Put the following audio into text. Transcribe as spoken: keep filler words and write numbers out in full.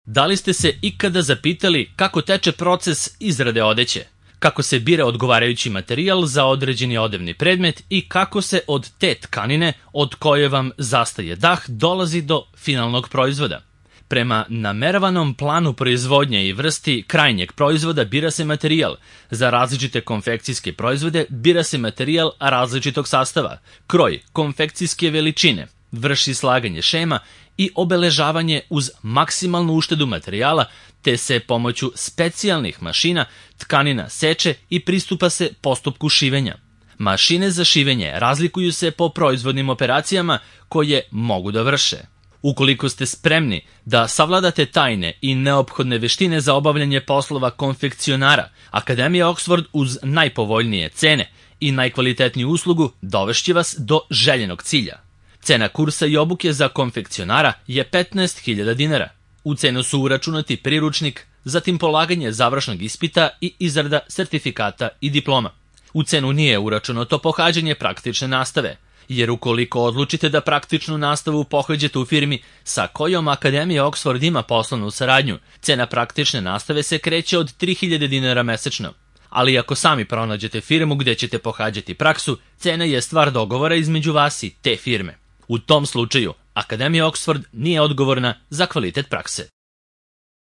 Da li ste se ikada zapitali kako teče proces izrade odeće? Kako se bira odgovarajući materijal za određeni odevni predmet i kako se od te tkanine od koje vam zastaje dah dolazi do finalnog proizvoda? Prema nameravanom planu proizvodnje i vrsti krajnjeg proizvoda bira se materijal. Za različite konfekcijske proizvode bira se materijal različitog sastava, kroj, konfekcijske veličine, vrši slaganje šema i obeležavanje uz maksimalnu uštedu materijala, te se pomoću specijalnih mašina tkanina seče i pristupa se postupku šivenja. Mašine za šivenje razlikuju se po proizvodnim operacijama koje mogu da vrše. Ukoliko ste spremni da savladate tajne i neophodne veštine za obavljanje poslova konfekcionara, Akademija Oxford uz najpovoljnije cene i najkvalitetniju uslugu dovešće vas do željenog cilja. Cena kursa i obuke za konfekcionara je petnaest hiljada dinara. U cenu su uračunati priručnik, zatim polaganje završnog ispita i izrada sertifikata i diploma. U cenu nije uračunato pohađanje praktične nastave, jer ukoliko odlučite da praktičnu nastavu pohađate u firmi sa kojom Akademija Oxford ima poslovnu saradnju, cena praktične nastave se kreće od tri hiljade dinara mesečno. Ali ako sami pronađete firmu gde ćete pohađati praksu, cena je stvar dogovora između vas i te firme. U tom slučaju, Akademija Oxford nije odgovorna za kvalitet prakse.